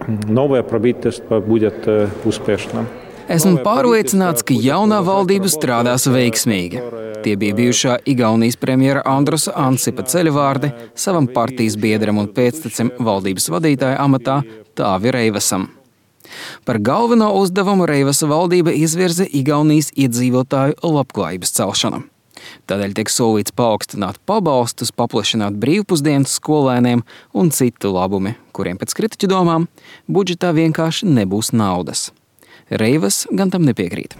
новое правительство будет успешным. Esmu pārliecināts, ka jaunā valdība strādās veiksmīgi. Tie bija bijušā Igaunijas premjera Andrusa Ansipa ceļvārdi savam partijas biedram un pēctecim valdības vadītāja amatā Tāvi Reivasam. Par galveno uzdevumu Reivasa valdība izvirza Igaunijas iedzīvotāju labklājības celšanu. Tādēļ tiek solīts paaugstināt pabalstus, paplašināt brīvpusdienas skolēniem un citu labumi, kuriem pēc kritiķu domām budžetā vienkārši nebūs naudas. Reivas gan tam nepiekrīt.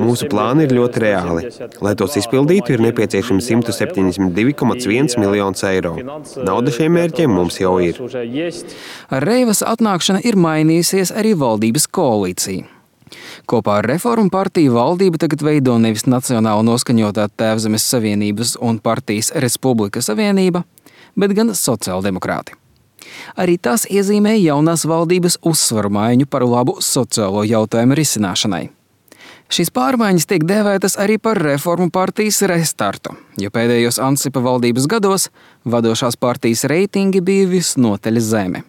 Mūsu plāni ir ļoti reāli. Lai tos izpildītu, ir nepieciešami 172,1 miljonus eiro. Nauda šiem mērķiem mums jau ir. Ar Reivas atnākšana ir mainījusies arī valdības koalīcija. Kopā ar Reformu partiju valdība tagad veido nevis nacionāli noskaņotā Tēvzemes Savienības un partijas Respublika Savienība, bet gan sociāldemokrāti. Arī tas iezīmē jaunās valdības uzsvaru maiņu par labu sociālo jautājumu risināšanai. Šīs pārmaiņas tiek dēvētas arī par Reformu partijas restartu, jo pēdējos Ansipa valdības gados vadošās partijas reitingi bija visnotaļ zemi.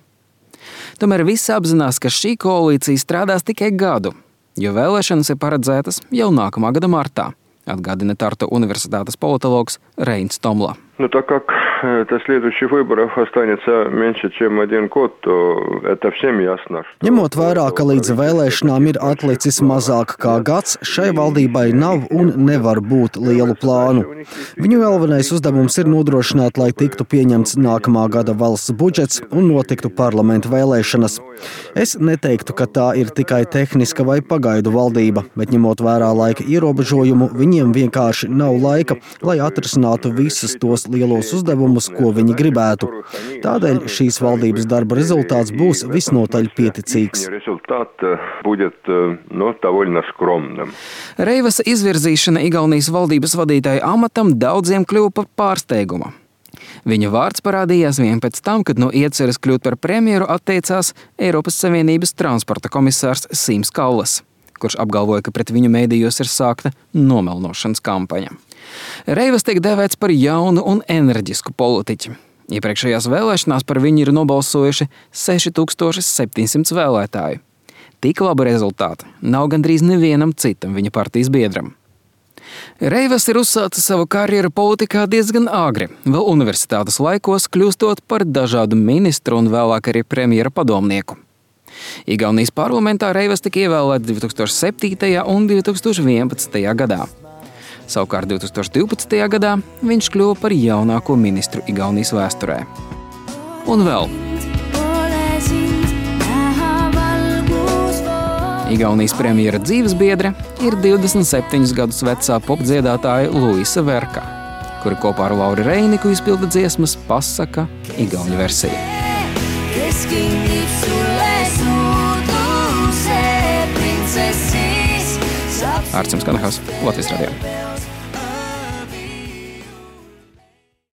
Tomēr visi apzinās, ka šī koalīcija strādās tikai gadu, jo vēlēšanas ir paredzētas jau nākamā gada martā, atgādina Tartu universitātes politologs Reins Tomla. Так как до следующих выборов останется меньше, чем 1 год, то это всем ясно. Ņemot vērā, ka līdz vēlēšanām ir atlicis mazāk kā gads, šai valdībai nav un nevar būt lielu plānu. Viņu galvenais uzdevums ir nodrošināt, lai tiktu pieņemts nākamā gada valsts budžets un notiktu parlamenta vēlēšanas. Es neteiktu, ka tā ir tikai tehniska vai pagaidu valdība, bet ņemot vērā laika ierobežojumu, viņiem vienkārši nav laika, lai atrisinātu visus tos lielos uzdevumus, ko viņi gribētu. Tādēļ šīs valdības darba rezultāts būs visnotaļ pieticīgs. Reivasa izvirzīšana Igaunijas valdības vadītāja amatam daudziem kļuva par pārsteigumu. Viņa vārds parādījās vien pēc tam, kad no ieceres kļūt par premjeru atteicās Eiropas Savienības transporta komisārs Sims Kallas, kurš apgalvoja, ka pret viņu mēdījos ir sākta nomelnošanas kampaņa. Reivas tiek dēvēts par jaunu un enerģisku politiķi. Iepriekšējās vēlēšanās par viņu ir nobalsojuši 6700 vēlētāju. Tik labu rezultātu nav gandrīz nevienam citam viņa partijas biedram. Reivas ir uzsācis savu karjeru politikā diezgan agri, vēl universitātes laikos kļūstot par dažādu ministru un vēlāk arī premjera padomnieku. Igaunijas parlamentā Reivas tika ievēlēts 2007. un 2011. gadā. Savukārt 2012. gadā viņš kļuva par jaunāko ministru Igaunijas vēsturē. Un vēl. Igaunijas premjera dzīvesbiedre ir 27 gadus vecā popdziedātāja Luisa Verka, kura kopā ar Lauri Reiniku izpilda dziesmas Pasaka igauņu versiju. Ārts Kanahas, Latvijas radio.